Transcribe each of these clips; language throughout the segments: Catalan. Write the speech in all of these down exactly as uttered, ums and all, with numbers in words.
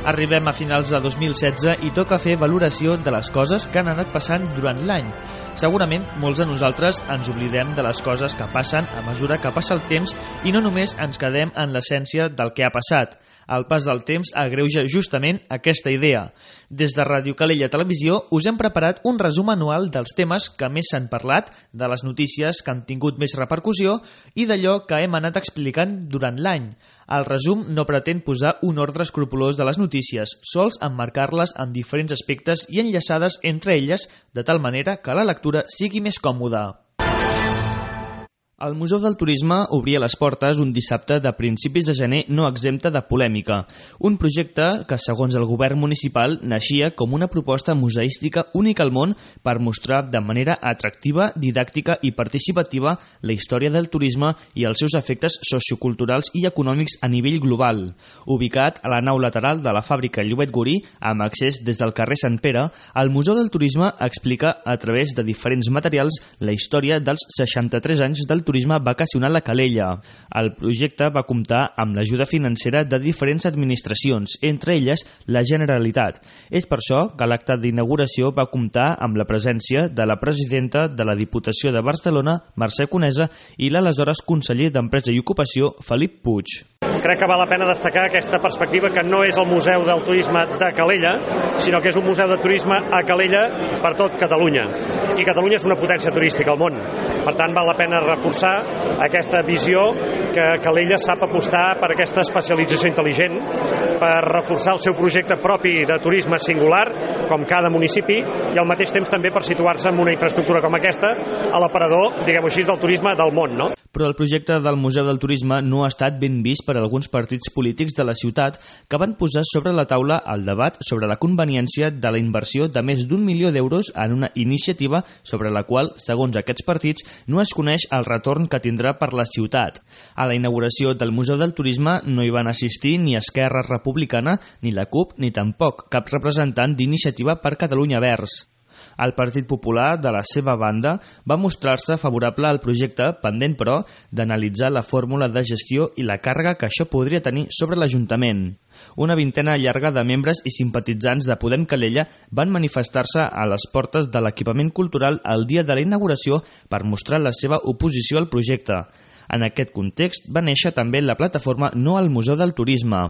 Arribem a finals de dos mil setze i toca fer valoració de les coses que han anat passant durant l'any. Segurament molts de nosaltres ens oblidem de les coses que passen a mesura que passa el temps i no només ens quedem en l'essència del que ha passat. El pas del temps agreuja justament aquesta idea. Des de Ràdio Calella Televisió us hem preparat un resum anual dels temes que més s'han parlat, de les notícies que han tingut més repercussió i d'allò que hem anat explicant durant l'any. El resum no pretén posar un ordre escrupolós de les notícies, sols emmarcar-les en diferents aspectes i enllaçades entre elles, de tal manera que la lectura sigui més còmoda. El Museu del Turisme obria les portes un dissabte de principis de gener no exempta de polèmica. Un projecte que, segons el govern municipal, naixia com una proposta museística única al món per mostrar de manera atractiva, didàctica i participativa la història del turisme i els seus efectes socioculturals i econòmics a nivell global. Ubicat a la nau lateral de la fàbrica Llobet Gurí, amb accés des del carrer Sant Pere, el Museu del Turisme explica a través de diferents materials la història dels seixanta-tres anys del turisme vacacional a Calella. El projecte va comptar amb l'ajuda financera de diferents administracions, entre elles la Generalitat. És per això que l'acte d'inauguració va comptar amb la presència de la presidenta de la Diputació de Barcelona, Mercè Conesa, i l'aleshores conseller d'Empresa i Ocupació, Felip Puig. Crec que val la pena destacar aquesta perspectiva que no és el Museu del Turisme de Calella, sinó que és un museu de turisme a Calella per tot Catalunya. I Catalunya és una potència turística al món. Per tant, val la pena reforçar aquesta visió que Calella sap apostar per aquesta especialització intel·ligent, per reforçar el seu projecte propi de turisme singular, com cada municipi, i al mateix temps també per situar-se en una infraestructura com aquesta a l'aparador, diguem-ho així, del turisme del món, no? Però el projecte del Museu del Turisme no ha estat ben vist per alguns partits polítics de la ciutat que van posar sobre la taula el debat sobre la conveniència de la inversió de més d'un milió d'euros en una iniciativa sobre la qual, segons aquests partits, no es coneix el retorn que tindrà per la ciutat. A la inauguració del Museu del Turisme no hi van assistir ni Esquerra Republicana, ni la CUP, ni tampoc cap representant d'Iniciativa per Catalunya Verds. El Partit Popular, de la seva banda, va mostrar-se favorable al projecte, pendent, però, d'analitzar la fórmula de gestió i la càrrega que això podria tenir sobre l'Ajuntament. Una vintena llarga de membres i simpatitzants de Podem Calella van manifestar-se a les portes de l'equipament cultural el dia de la inauguració per mostrar la seva oposició al projecte. En aquest context va néixer també la plataforma No al Museu del Turisme.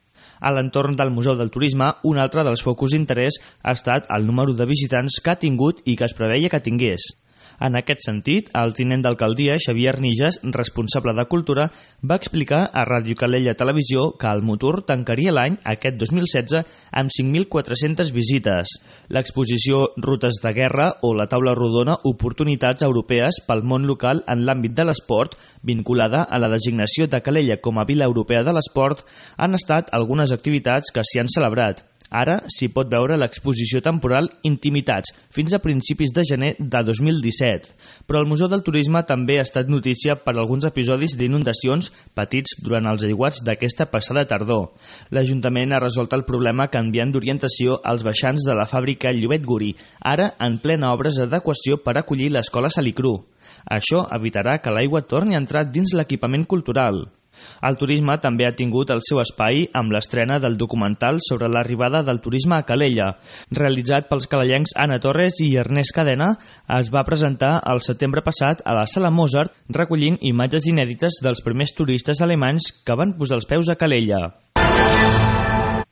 A l'entorn del Museu del Turisme, un altre dels focus d'interès ha estat el número de visitants que ha tingut i que es preveia que tingués. En aquest sentit, el tinent d'alcaldia, Xavier Nijas, responsable de Cultura, va explicar a Ràdio Calella Televisió que el Motor tancaria l'any, aquest dos mil setze, amb cinc mil quatre-centes visites. L'exposició Rutes de Guerra o la taula rodona Oportunitats Europees pel món local en l'àmbit de l'esport, vinculada a la designació de Calella com a Vila Europea de l'Esport, han estat algunes activitats que s'hi han celebrat. Ara s'hi pot veure l'exposició temporal Intimitats, fins a principis de gener de dos mil disset. Però el Museu del Turisme també ha estat notícia per alguns episodis d'inundacions patits durant els aiguats d'aquesta passada tardor. L'Ajuntament ha resolt el problema canviant d'orientació als baixants de la fàbrica Llobet Gurí, ara en plena obres d'adequació per acollir l'escola Salicru. Això evitarà que l'aigua torni a entrar dins l'equipament cultural. El turisme també ha tingut el seu espai amb l'estrena del documental sobre l'arribada del turisme a Calella. Realitzat pels calellencs Anna Torres i Ernest Cadena, es va presentar el setembre passat a la Sala Mozart, recollint imatges inèdites dels primers turistes alemanys que van posar els peus a Calella.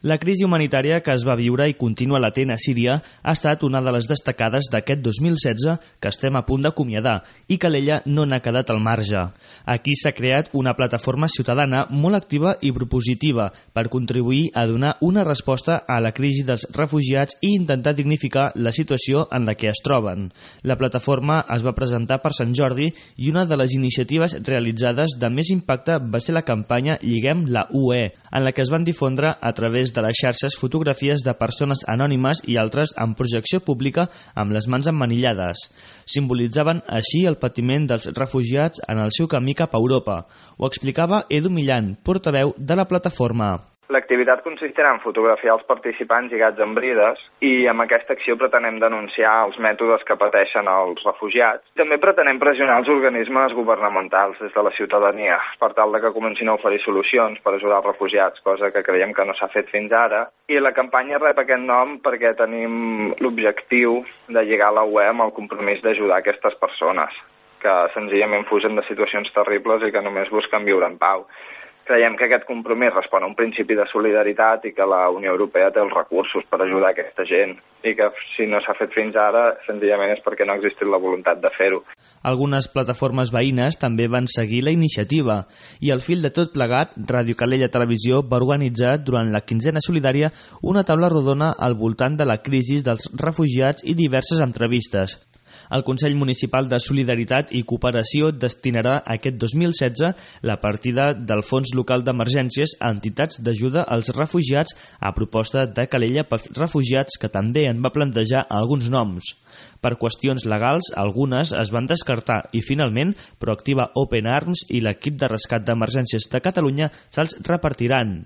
La crisi humanitària que es va viure i continua latent a Síria ha estat una de les destacades d'aquest dos mil setze que estem a punt d'acomiadar i Calella no n'ha quedat al marge. Aquí s'ha creat una plataforma ciutadana molt activa i propositiva per contribuir a donar una resposta a la crisi dels refugiats i intentar dignificar la situació en la que es troben. La plataforma es va presentar per Sant Jordi i una de les iniciatives realitzades de més impacte va ser la campanya Lliguem la U E, en la que es van difondre a través de les xarxes fotografies de persones anònimes i altres en projecció pública amb les mans emmanillades. Simbolitzaven així el patiment dels refugiats en el seu camí cap a Europa. Ho explicava Edu Millan, portaveu de la plataforma. L'activitat consistirà en fotografiar els participants lligats amb brides i amb aquesta acció pretenem denunciar els mètodes que pateixen els refugiats. També pretenem pressionar els organismes governamentals des de la ciutadania per tal de que comencin a oferir solucions per ajudar els refugiats, cosa que creiem que no s'ha fet fins ara. I la campanya rep aquest nom perquè tenim l'objectiu de lligar la U E amb el compromís d'ajudar aquestes persones que senzillament fugen de situacions terribles i que només busquen viure en pau. Creiem que aquest compromís respon a un principi de solidaritat i que la Unió Europea té els recursos per ajudar aquesta gent i que si no s'ha fet fins ara, senzillament és perquè no ha existit la voluntat de fer-ho. Algunes plataformes veïnes també van seguir la iniciativa i al fil de tot plegat, Ràdio Calella Televisió va organitzar durant la quinzena solidària una taula rodona al voltant de la crisi dels refugiats i diverses entrevistes. El Consell Municipal de Solidaritat i Cooperació destinarà aquest dos mil setze la partida del Fons Local d'Emergències a entitats d'ajuda als refugiats a proposta de Calella pels refugiats, que també en va plantejar alguns noms. Per qüestions legals, algunes es van descartar i finalment Proactiva Open Arms i l'equip de rescat d'emergències de Catalunya se'ls repartiran.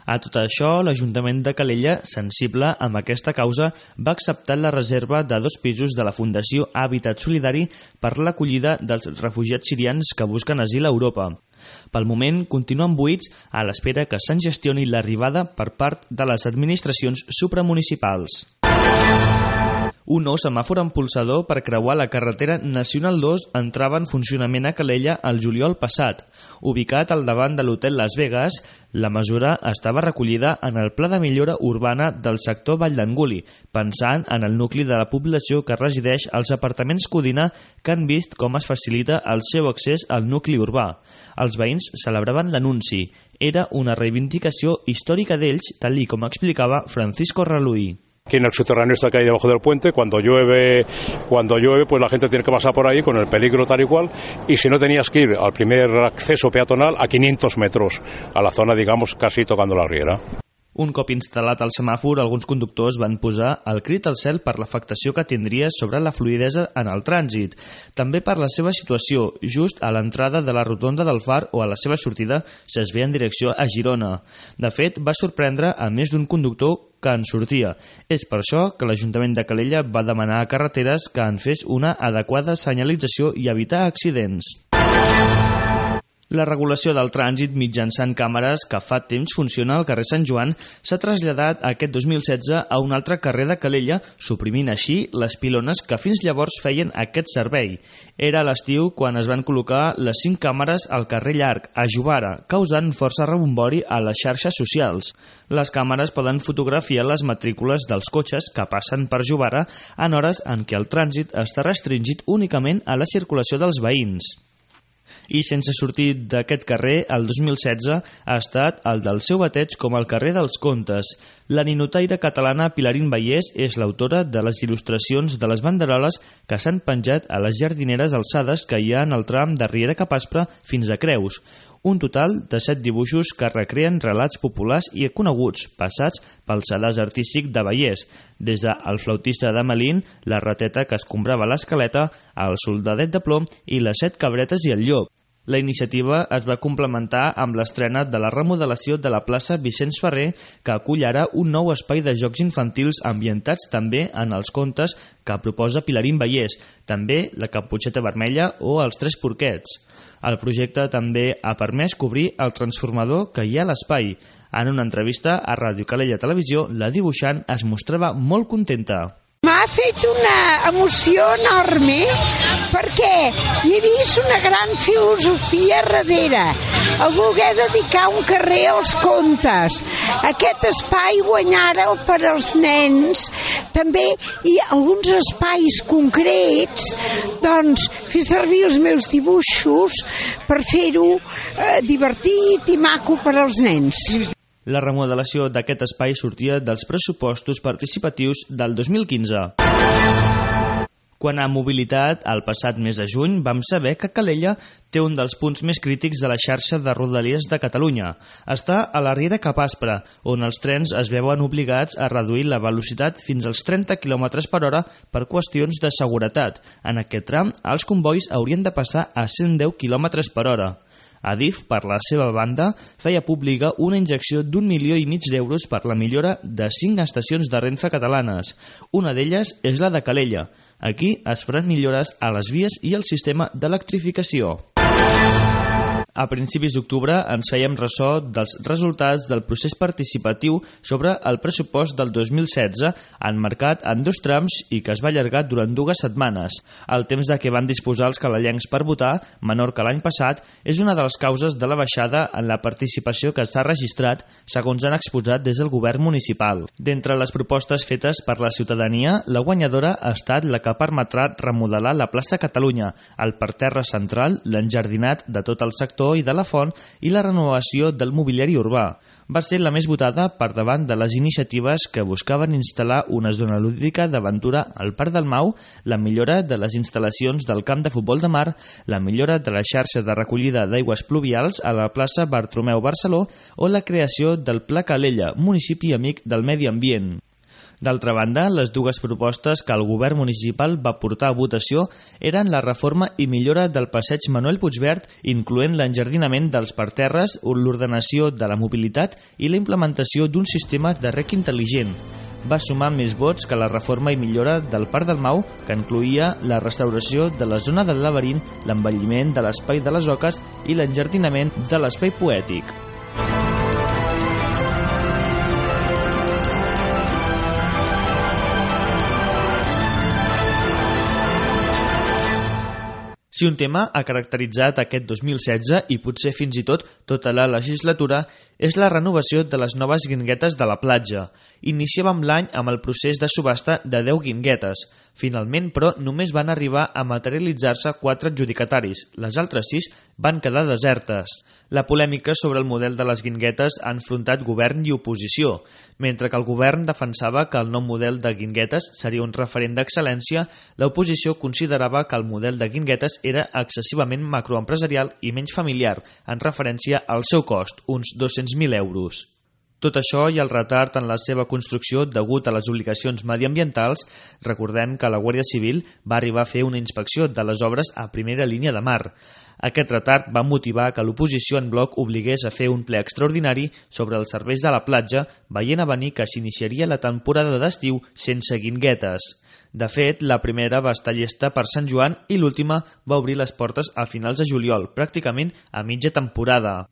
A tot això, l'Ajuntament de Calella, sensible amb aquesta causa, va acceptar la reserva de dos pisos de la Fundació Hàbitat Solidari per l'acollida dels refugiats sirians que busquen asil a Europa. Pel moment, continuen buits a l'espera que se'n gestioni l'arribada per part de les administracions supramunicipals. Un nou semàfor empolsador per creuar la carretera Nacional dos entrava en funcionament a Calella el juliol passat. Ubicat al davant de l'hotel Las Vegas, la mesura estava recollida en el Pla de Millora Urbana del sector Vall d'Anguli, pensant en el nucli de la població que resideix als apartaments Codina, que han vist com es facilita el seu accés al nucli urbà. Els veïns celebraven l'anunci. Era una reivindicació històrica d'ells, tal i com explicava Francisco Raluí. Aquí en el subterráneo está que hay debajo del puente, cuando llueve, cuando llueve, pues la gente tiene que pasar por ahí con el peligro tal y cual, y si no tenías que ir al primer acceso peatonal a quinientos metros, a la zona, digamos, casi tocando la riera. Un cop instal·lat el semàfor, alguns conductors van posar el crit al cel per l'afectació que tindria sobre la fluïdesa en el trànsit. També per la seva situació, just a l'entrada de la rotonda del Far o a la seva sortida, si es ve en direcció a Girona. De fet, va sorprendre a més d'un conductor que en sortia. És per això que l'Ajuntament de Calella va demanar a Carreteres que en fes una adequada senyalització i evitar accidents. La regulació del trànsit mitjançant càmeres que fa temps funciona al carrer Sant Joan s'ha traslladat aquest dos mil setze a un altre carrer de Calella, suprimint així les pilones que fins llavors feien aquest servei. Era a l'estiu quan es van col·locar les cinc càmeres al carrer Llarg, a Jovara, causant força rebombori a les xarxes socials. Les càmeres poden fotografiar les matrícules dels cotxes que passen per Jovara en hores en què el trànsit està restringit únicament a la circulació dels veïns. I sense sortir d'aquest carrer, el dos mil setze ha estat el del seu bateig com el carrer dels Contes. La ninotaire catalana Pilarín Vallès és l'autora de les il·lustracions de les banderoles que s'han penjat a les jardineres alçades que hi ha en el tram de Riera Cap Aspre fins a Creus. Un total de set dibuixos que recreen relats populars i coneguts, passats pel sedàs artístic de Vallès, des del flautista de Melín, la rateta que escombrava l'escaleta, el soldadet de plom i les set cabretes i el llop. La iniciativa es va complementar amb l'estrena de la remodelació de la plaça Vicenç Ferrer, que acull ara un nou espai de jocs infantils ambientats també en els contes que proposa Pilarín Vallès, també la Caputxeta Vermella o els Tres Porquets. El projecte també ha permès cobrir el transformador que hi ha a l'espai. En una entrevista a Ràdio Calella Televisió, la dibuixant es mostrava molt contenta. M'ha fet una emoció enorme perquè hi he vist una gran filosofia darrere, el voler dedicar un carrer als contes. Aquest espai guanyar-el per als nens, també i alguns espais concrets, doncs fer servir els meus dibuixos per fer-ho eh, divertit i maco per als nens. La remodelació d'aquest espai sortia dels pressupostos participatius del dos mil quinze. Quant a mobilitat, el passat mes de juny vam saber que Calella té un dels punts més crítics de la xarxa de rodalies de Catalunya. Està a la Riera Cap Aspre, on els trens es veuen obligats a reduir la velocitat fins als trenta quilòmetres per hora per qüestions de seguretat. En aquest tram, els convois haurien de passar a cent deu quilòmetres per hora. Adif, per la seva banda, feia pública una injecció d'un milió i mig d'euros per la millora de cinc estacions de Renfe catalanes. Una d'elles és la de Calella. Aquí es faran millores a les vies i al sistema d'electrificació. A principis d'octubre ens fèiem ressò dels resultats del procés participatiu sobre el pressupost del dos mil setze, emmarcat en dos trams i que es va allargar durant dues setmanes. El temps de què van disposar els calellencs per votar, menor que l'any passat, és una de les causes de la baixada en la participació que s'ha registrat, segons han exposat des del govern municipal. D'entre les propostes fetes per la ciutadania, la guanyadora ha estat la que permetrà remodelar la plaça Catalunya, el parterre central, l'enjardinat de tot el sector i de la font i la renovació del mobiliari urbà. Va ser la més votada per davant de les iniciatives que buscaven instal·lar una zona lúdica d'aventura al Parc del Mau, la millora de les instal·lacions del camp de futbol de mar, la millora de la xarxa de recollida d'aigües pluvials a la plaça Bartomeu Barceló o la creació del Pla Calella, municipi amic del medi ambient. D'altra banda, les dues propostes que el govern municipal va portar a votació eren la reforma i millora del passeig Manuel Puigverd, incloent l'enjardinament dels parterres, l'ordenació de la mobilitat i la implementació d'un sistema de rec intel·ligent. Va sumar més vots que la reforma i millora del Parc del Mau, que incloïa la restauració de la zona del laberint, l'embelliment de l'espai de les oques i l'enjardinament de l'espai poètic. Si un tema ha caracteritzat aquest dos mil setze i potser fins i tot tota la legislatura és la renovació de les noves guinguetes de la platja. Iniciàvem l'any amb el procés de subhasta de deu guinguetes. Finalment, però, només van arribar a materialitzar-se quatre adjudicataris. Les altres sis van quedar desertes. La polèmica sobre el model de les guinguetes ha enfrontat govern i oposició. Mentre que el govern defensava que el nou model de guinguetes seria un referent d'excel·lència, l'oposició considerava que el model de guinguetes era excessivament macroempresarial i menys familiar, en referència al seu cost, uns dos-cents mil euros. Tot això i el retard en la seva construcció degut a les obligacions mediambientals, recordem que la Guàrdia Civil va arribar a fer una inspecció de les obres a primera línia de mar. Aquest retard va motivar que l'oposició en bloc obligués a fer un ple extraordinari sobre els serveis de la platja, veient a venir que s'iniciaria la temporada d'estiu sense guinguetes. De fet, la primera va estar llesta per Sant Joan i l'última va obrir les portes a finals de juliol, pràcticament a mitja temporada.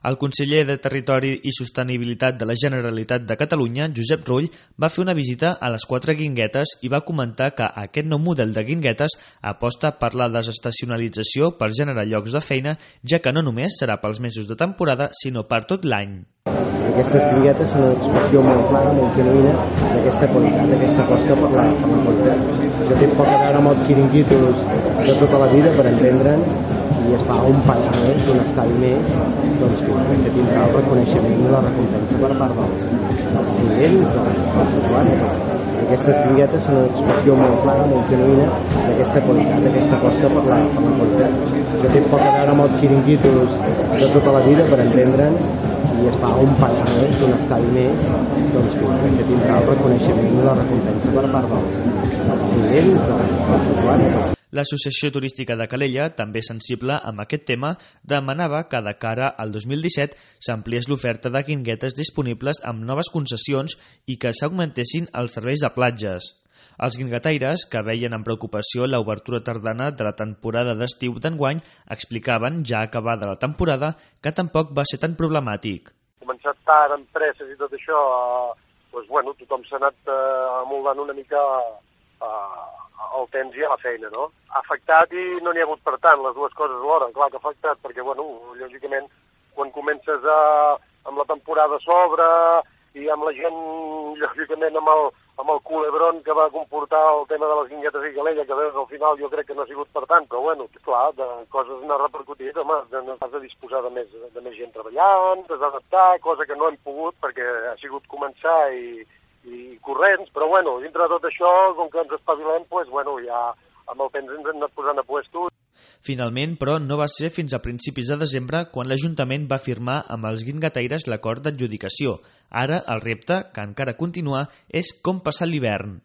El conseller de Territori i Sostenibilitat de la Generalitat de Catalunya, Josep Rull, va fer una visita a les quatre guinguetes i va comentar que aquest nou model de guinguetes aposta per la desestacionalització per generar llocs de feina, ja que no només serà pels mesos de temporada, sinó per tot l'any. Aquestes guinguetes són una expressió molt clara, molt genuïna d'aquesta qualitat, d'aquesta aposta per la, per la qualitat. Això té poc a veure amb els xiringuitos de tota la vida, per entendre'ns, i es fa un pas més, un estadi més, doncs que crec que tindrà el reconeixement i la recompensa per part dels, dels clients, dels, dels usuaris. Aquestes guinguetes són una expressió molt clara, molt genuïna d'aquesta qualitat, d'aquesta aposta per la, per la qualitat. Això té poc a veure amb els xiringuitos de tota la vida, per entendre'ns, i es fa un pas més, un estadi més, doncs que crec que tindrà el reconeixement i la recompensa per part dels, dels clients, dels, dels usuaris. L'Associació Turística de Calella, també sensible amb aquest tema, demanava que de cara al dos mil disset s'ampliés l'oferta de guinguetes disponibles amb noves concessions i que s'augmentessin els serveis de platges. Els guinguetaires, que veien amb preocupació l'obertura tardana de la temporada d'estiu d'enguany, explicaven, ja acabada la temporada, que tampoc va ser tan problemàtic. Començat tard, amb presses i tot això, eh, doncs, bueno, tothom s'ha anat eh, amoldant una mica eh, el temps i a la feina, no? Ha afectat i no n'hi ha hagut per tant, les dues coses alhora. Clar que ha afectat, perquè, bueno, lògicament, quan comences a, amb la temporada a sobre i amb la gent, lògicament, amb el, amb el culebron que va comportar el tema de les guinguetes i Calella, que veus al final jo crec que no ha sigut per tant, però, bueno, clar, de coses n'ha repercutit, home, no has de disposar de més, de més gent treballant, t'has d'adaptar, cosa que no hem pogut perquè ha sigut començar i i corrents, però bueno, dintre de tot això, com que ens espavilem, doncs, bueno, ja amb el temps ens hem anat posant a puesto. Finalment, però, no va ser fins a principis de desembre quan l'Ajuntament va firmar amb els guinguetaires l'acord d'adjudicació. Ara, el repte, que encara continua, és com passar l'hivern.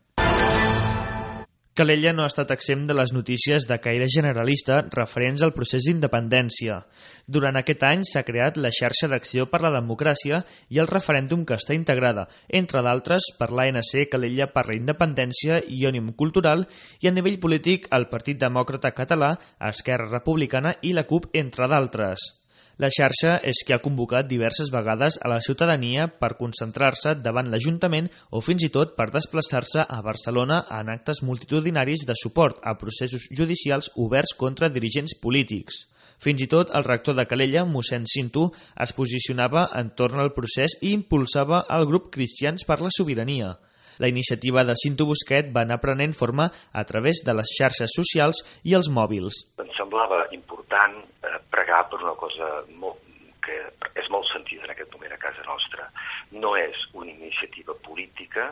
Calella no ha estat exempt de les notícies de caire generalista referents al procés d'independència. Durant aquest any s'ha creat la xarxa d'acció per la democràcia i el referèndum que està integrada, entre d'altres, per l'A N C Calella per la Independència i Òmnium Cultural, i a nivell polític el Partit Demòcrata Català, Esquerra Republicana i la CUP, entre d'altres. La xarxa és que ha convocat diverses vegades a la ciutadania per concentrar-se davant l'Ajuntament o fins i tot per desplaçar-se a Barcelona en actes multitudinaris de suport a processos judicials oberts contra dirigents polítics. Fins i tot el rector de Calella, mossèn Cinto, es posicionava entorn al procés i impulsava el grup Cristians per la Sobirania. La iniciativa de Cinto Busquet va anar prenent forma a través de les xarxes socials i els mòbils. Em semblava important eh, pregar per una cosa molt, que és molt sentida en aquest moment a casa nostra. No és una iniciativa política,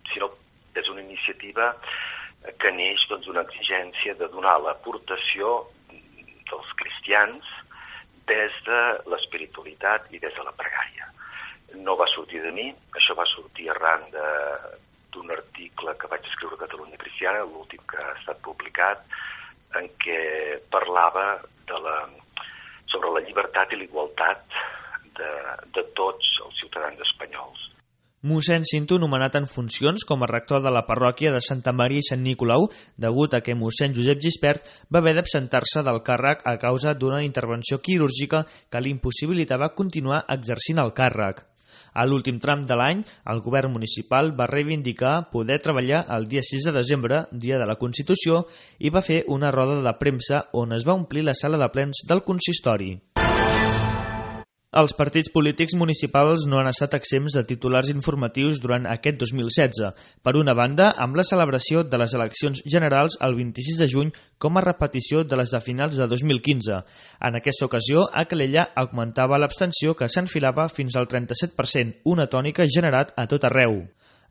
sinó és una iniciativa que neix doncs, d'una exigència de donar l'aportació dels cristians des de l'espiritualitat i des de la pregària. No va sortir de mi, això va sortir arran d'un article que vaig escriure a Catalunya Cristiana, l'últim que ha estat publicat, en què parlava de la, sobre la llibertat i la igualtat de, de tots els ciutadans espanyols. Mossèn Cinto, nomenat en funcions com a rector de la parròquia de Santa Maria i Sant Nicolau, degut a que mossèn Josep Gispert va haver d'absentar-se del càrrec a causa d'una intervenció quirúrgica que li impossibilitava continuar exercint el càrrec. A l'últim tram de l'any, el govern municipal va reivindicar poder treballar el dia sis de desembre, dia de la Constitució, i va fer una roda de premsa on es va omplir la sala de plens del consistori. Els partits polítics municipals no han estat exempts de titulars informatius durant aquest dos mil setze. Per una banda, amb la celebració de les eleccions generals el vint-i-sis de juny com a repetició de les de finals de dos mil quinze. En aquesta ocasió, a Calella augmentava l'abstenció que s'enfilava fins al trenta-set per cent, una tònica generat a tot arreu.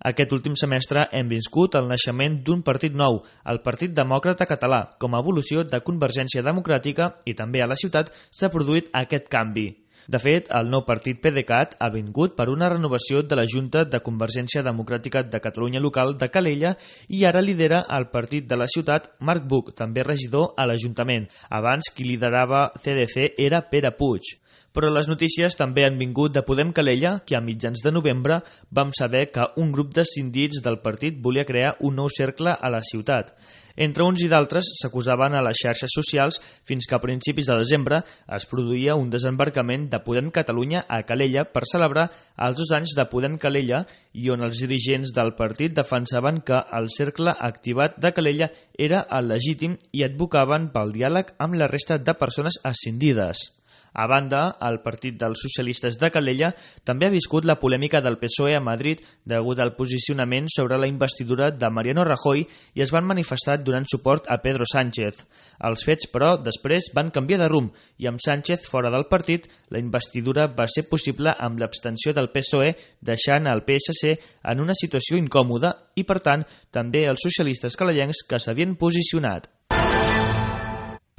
Aquest últim semestre hem viscut el naixement d'un partit nou, el Partit Demòcrata Català, com a evolució de Convergència Democràtica, i també a la ciutat s'ha produït aquest canvi. De fet, el nou partit PDeCAT ha vingut per una renovació de la Junta de Convergència Democràtica de Catalunya local de Calella i ara lidera el partit de la ciutat Marc Buch, també regidor a l'Ajuntament. Abans qui liderava C D C era Pere Puig. Però les notícies també han vingut de Podem Calella, que a mitjans de novembre vam saber que un grup d'escindits del partit volia crear un nou cercle a la ciutat. Entre uns i d'altres s'acusaven a les xarxes socials fins que a principis de desembre es produïa un desembarcament de Podem Catalunya a Calella per celebrar els dos anys de Podem Calella i on els dirigents del partit defensaven que el cercle activat de Calella era el legítim i advocaven pel diàleg amb la resta de persones escindides. A banda, el Partit dels Socialistes de Calella també ha viscut la polèmica del P S O E a Madrid degut al posicionament sobre la investidura de Mariano Rajoy i es van manifestar donant suport a Pedro Sánchez. Els fets, però, després van canviar de rumb i amb Sánchez fora del partit, la investidura va ser possible amb l'abstenció del P S O E, deixant el P S C en una situació incòmoda i, per tant, també els socialistes calellencs que s'havien posicionat.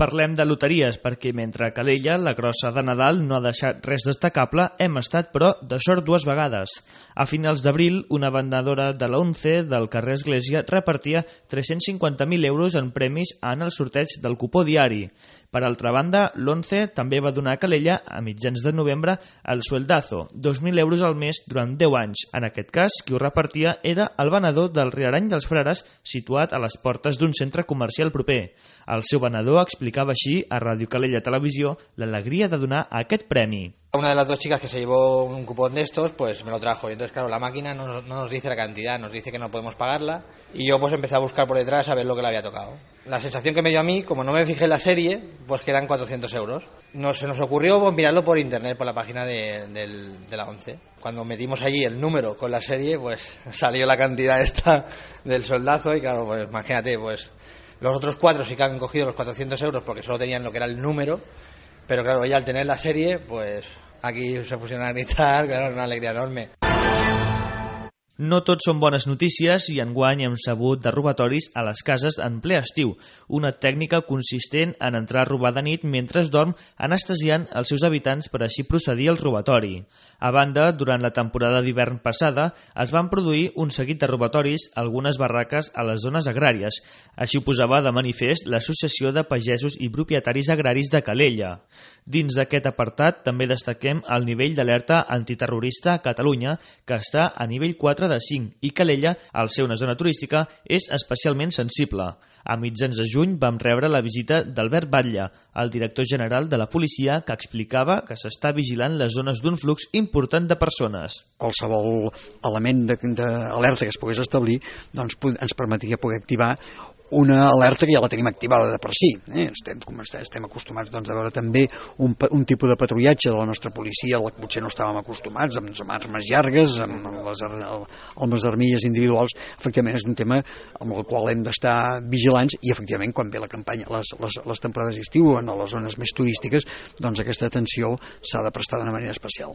Parlem de loteries, perquè mentre a Calella la grossa de Nadal no ha deixat res destacable, hem estat, però, de sort dues vegades. A finals d'abril, una venedora de la ONCE del carrer Església repartia tres-cents cinquanta mil euros en premis en el sorteig del cupó diari. Per altra banda, l'ONCE també va donar a Calella, a mitjans de novembre, el sueldazo, dos mil euros al mes durant deu anys. En aquest cas, qui ho repartia era el venedor del Riarany dels Frares, situat a les portes d'un centre comercial proper. El seu venedor explicava així a Ràdio Calella Televisió l'alegria de donar aquest premi. Una de las dos chicas que se llevó un cupón de estos, pues me lo trajo. Y entonces, claro, la máquina no, no nos dice la cantidad, nos dice que no podemos pagarla. Y yo pues empecé a buscar por detrás a ver lo que le había tocado. La sensación que me dio a mí, como no me fijé en la serie, pues que eran cuatrocientos euros. Nos, se nos ocurrió pues, mirarlo por internet, por la página de, de, de la ONCE. Cuando metimos allí el número con la serie, pues salió la cantidad esta del soldazo y claro, pues imagínate, pues los otros cuatro sí que han cogido los cuatrocientos euros porque solo tenían lo que era el número. Pero claro, ella al tener la serie, pues aquí se pusieron a gritar, claro, una alegría enorme. No tot són bones notícies i enguany hem sabut de robatoris a les cases en ple estiu, una tècnica consistent en entrar a robar de nit mentre es dorm, anestesiant els seus habitants per així procedir al robatori. A banda, durant la temporada d'hivern passada es van produir un seguit de robatoris a algunes barraques a les zones agràries. Així ho posava de manifest l'Associació de Pagesos i Propietaris Agraris de Calella. Dins d'aquest apartat també destaquem el nivell d'alerta antiterrorista a Catalunya, que està a nivell quatre de cinc, i Calella, al ser una zona turística, és especialment sensible. A mitjans de juny vam rebre la visita d'Albert Batlle, el director general de la policia, que explicava que s'està vigilant les zones d'un flux important de persones. Qualsevol element d'alerta que es pogués establir doncs, ens permetria poder activar una alerta que ja la tenim activada de per si. Eh? Estem, estem acostumats doncs, a veure també un, un tipus de patrullatge de la nostra policia, al que potser no estàvem acostumats, amb, amb armes llargues, amb les, amb les armilles individuals. Efectivament, és un tema amb el qual hem d'estar vigilants i, efectivament, quan ve la campanya, les, les, les temporades d'estiu, en les zones més turístiques, doncs aquesta atenció s'ha de prestar d'una manera especial.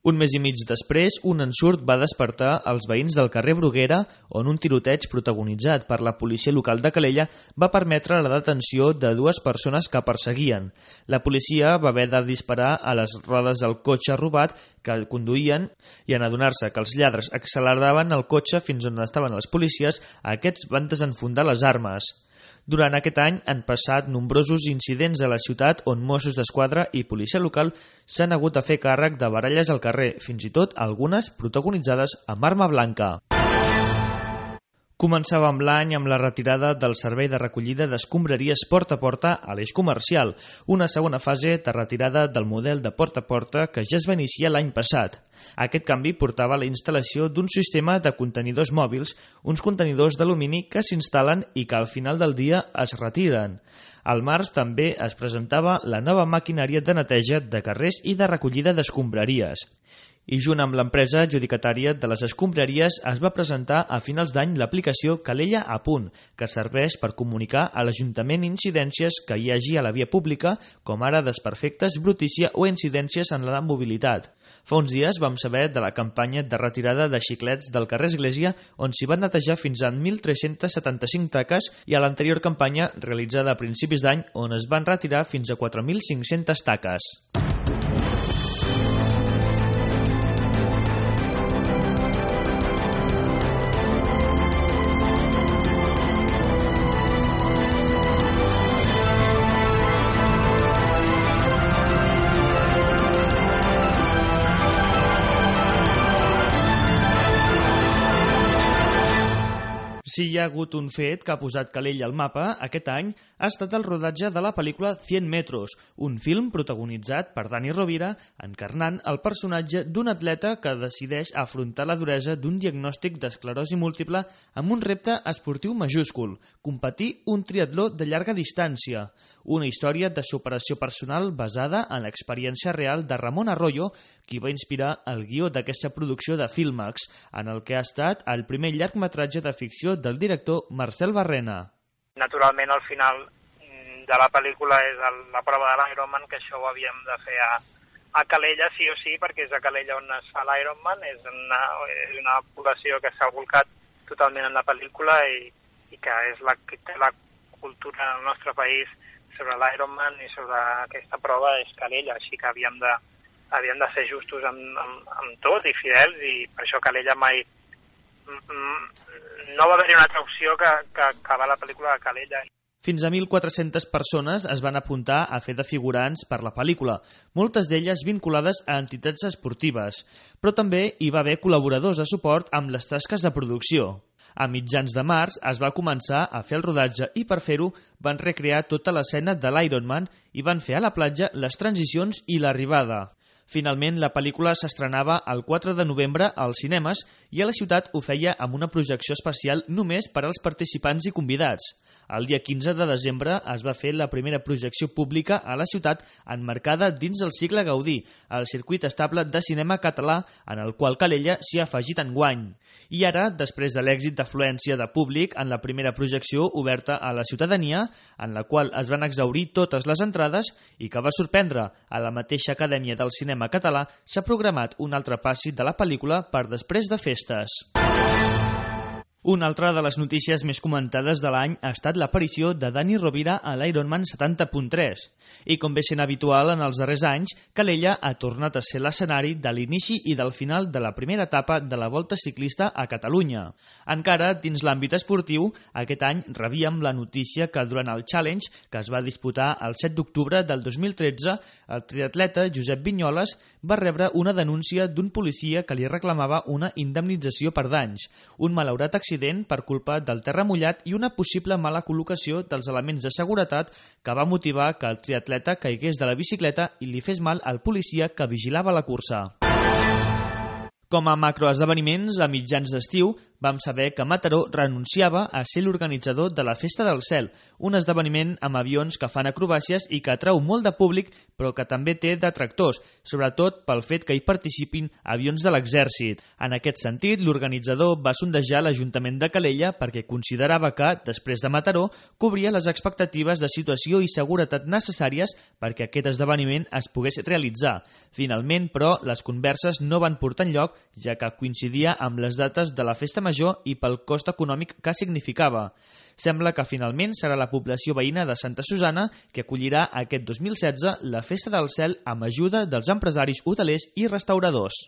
Un mes i mig després, un ensurt va despertar els veïns del carrer Bruguera, on un tiroteig protagonitzat per la policia local de Calella va permetre la detenció de dues persones que perseguien. La policia va haver de disparar a les rodes del cotxe robat que el conduïen i en adonar-se que els lladres acceleraven el cotxe fins on estaven els policies, aquests van desenfundar les armes. Durant aquest any han passat nombrosos incidents a la ciutat on Mossos d'Esquadra i policia local s'han hagut de fer càrrec de baralles al carrer, fins i tot algunes protagonitzades amb arma blanca. Començàvem l'any amb la retirada del servei de recollida d'escombraries porta a porta a l'eix comercial, una segona fase de retirada del model de porta a porta que ja es va iniciar l'any passat. Aquest canvi portava a la instal·lació d'un sistema de contenidors mòbils, uns contenidors d'alumini que s'instal·len i que al final del dia es retiren. Al març també es presentava la nova maquinària de neteja de carrers i de recollida d'escombraries. I junt amb l'empresa adjudicatària de les escombraries es va presentar a finals d'any l'aplicació Calella a punt, que serveix per comunicar a l'Ajuntament incidències que hi hagi a la via pública, com ara desperfectes, brutícia o incidències en la mobilitat. Fa uns dies vam saber de la campanya de retirada de xiclets del carrer Església, on s'hi van netejar fins a mil tres-cents setanta-cinc taques, i a l'anterior campanya, realitzada a principis d'any, on es van retirar fins a quatre mil cinc-centes taques. Si hi ha hagut un fet que ha posat Calella al mapa aquest any ha estat el rodatge de la pel·lícula cent metros, un film protagonitzat per Dani Rovira encarnant el personatge d'un atleta que decideix afrontar la duresa d'un diagnòstic d'esclerosi múltiple amb un repte esportiu majúscul, competir un triatló de llarga distància, una història de superació personal basada en l'experiència real de Ramon Arroyo, qui va inspirar el guió d'aquesta producció de Filmax, en el que ha estat el primer llargmetratge de ficció del director Marcel Barrena. Naturalment, al final de la pel·lícula és el, la prova de l'Ironman, que això ho havíem de fer a, a Calella, sí o sí, perquè és a Calella on es fa l'Ironman, és una, és una població que s'ha volcat totalment en la pel·lícula i, i que és la que té la cultura del nostre país sobre l'Ironman i sobre aquesta prova és Calella, així que havíem de, havíem de ser justos amb, amb, amb tot i fidels, i per això Calella mai no va haver-hi una altra opció que, que acabar la pel·lícula de Calella. Fins a mil quatre-centes persones es van apuntar a fer de figurants per la pel·lícula, moltes d'elles vinculades a entitats esportives, però també hi va haver col·laboradors de suport amb les tasques de producció. A mitjans de març es va començar a fer el rodatge i per fer-ho van recrear tota l'escena de l'Ironman i van fer a la platja les transicions i l'arribada. Finalment, la pel·lícula s'estrenava el quatre de novembre als cinemes i a la ciutat ho feia amb una projecció especial només per als participants i convidats. El dia quinze de desembre es va fer la primera projecció pública a la ciutat emmarcada dins del cicle Gaudí, el circuit estable de cinema català en el qual Calella s'hi ha afegit enguany. I ara, després de l'èxit d'afluència de públic en la primera projecció oberta a la ciutadania, en la qual es van exhaurir totes les entrades i que va sorprendre a la mateixa Acadèmia del Cinema cinema català s'ha programat un altre passi de la pel·lícula per després de festes. Una altra de les notícies més comentades de l'any ha estat l'aparició de Dani Rovira a l'Ironman setanta punt tres. I com bé sent habitual en els darrers anys, Calella ha tornat a ser l'escenari de l'inici i del final de la primera etapa de la Volta Ciclista a Catalunya. Encara, dins l'àmbit esportiu, aquest any rebíem la notícia que durant el Challenge, que es va disputar el set d'octubre del dos mil tretze, el triatleta Josep Vinyoles va rebre una denúncia d'un policia que li reclamava una indemnització per danys, un malaurat accident per culpa del terra mullat i una possible mala col·locació dels elements de seguretat que va motivar que el triatleta caigués de la bicicleta i li fes mal al policia que vigilava la cursa. Com a macroesdeveniments, a mitjans d'estiu, vam saber que Mataró renunciava a ser l'organitzador de la Festa del Cel, un esdeveniment amb avions que fan acrobàcies i que atrau molt de públic, però que també té detractors, sobretot pel fet que hi participin avions de l'exèrcit. En aquest sentit, l'organitzador va sondejar l'Ajuntament de Calella perquè considerava que, després de Mataró, cobria les expectatives de situació i seguretat necessàries perquè aquest esdeveniment es pogués realitzar. Finalment, però, les converses no van portar enlloc, ja que coincidia amb les dates de la Festa Major i pel cost econòmic que significava. Sembla que finalment serà la població veïna de Santa Susana que acollirà aquest dos mil setze la Festa del Cel amb ajuda dels empresaris hotelers i restauradors.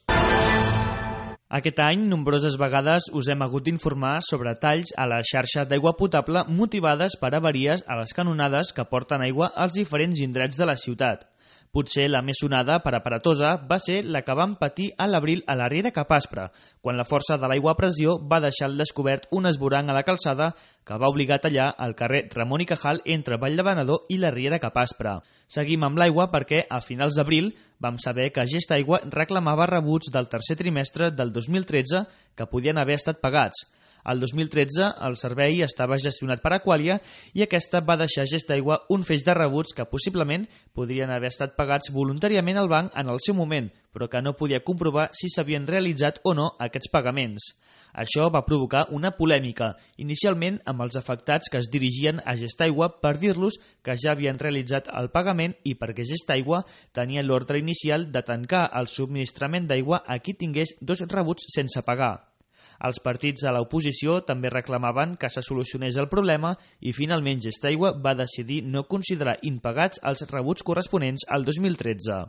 Aquest any, nombroses vegades us hem hagut d'informar sobre talls a la xarxa d'aigua potable motivades per avaries a les canonades que porten aigua als diferents indrets de la ciutat. Potser la més sonada per aparatosa va ser la que vam patir a l'abril a la Riera Capaspre, quan la força de l'aigua a pressió va deixar al descobert un esborang a la calçada que va obligar a tallar el carrer Ramon i Cajal entre Vall de Venedor i la Riera Capaspre. Seguim amb l'aigua perquè, a finals d'abril, vam saber que Gestaigua reclamava rebuts del tercer trimestre del dos mil tretze que podien haver estat pagats. El dos mil tretze el servei estava gestionat per Aqualia i aquesta va deixar a Gestaigua un feix de rebuts que possiblement podrien haver estat pagats voluntàriament al banc en el seu moment, però que no podia comprovar si s'havien realitzat o no aquests pagaments. Això va provocar una polèmica, inicialment amb els afectats que es dirigien a Gestaigua per dir-los que ja havien realitzat el pagament i perquè Gestaigua tenia l'ordre inicial de tancar el subministrament d'aigua a qui tingués dos rebuts sense pagar. Els partits a l'oposició també reclamaven que se solucionés el problema i finalment Gestaigua va decidir no considerar impagats els rebuts corresponents al dos mil tretze.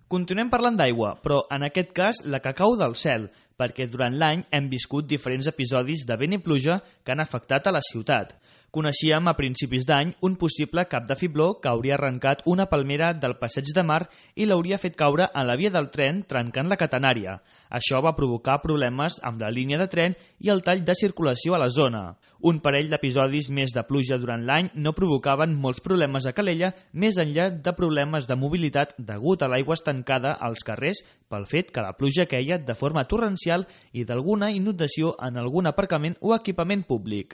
Continuem parlant d'aigua, però en aquest cas la que cau del cel, perquè durant l'any hem viscut diferents episodis de vent i pluja que han afectat a la ciutat. Coneixíem a principis d'any un possible cap de fibló que hauria arrencat una palmera del Passeig de Mar i l'hauria fet caure a la via del tren trencant la catenària. Això va provocar problemes amb la línia de tren i el tall de circulació a la zona. Un parell d'episodis més de pluja durant l'any no provocaven molts problemes a Calella, més enllà de problemes de mobilitat degut a l'aigua estancada als carrers pel fet que la pluja queia de forma torrencial i d'alguna inundació en algun aparcament o equipament públic.